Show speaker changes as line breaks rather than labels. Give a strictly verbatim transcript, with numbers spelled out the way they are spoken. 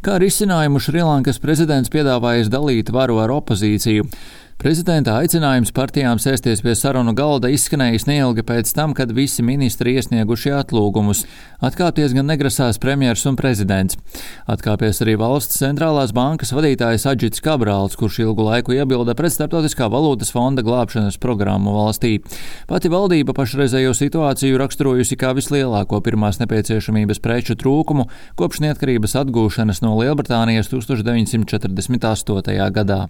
Kā risinājumu Šrilankas prezidents piedāvājis dalīt varu ar opozīciju. Prezidenta aicinājums partijām sēsties pie sarunu galda izskanējis neilgi pēc tam, kad visi ministri iesnieguši atlūgumus. Atkāpties gan negrasās premjers un prezidents. Atkāpies arī valsts centrālās bankas vadītājs Adžits Kabrāls, kurš ilgu laiku iebilda pret Starptautiskā valūtas fonda glābšanas programmu valstī. Pati valdība pašreizējo situāciju raksturojusi kā vislielāko pirmās nepieciešamības preču trūkumu kopš neatkarības atgūšanas no Lielbritānijas deviņdesmit četrdesmit astotajā gadā.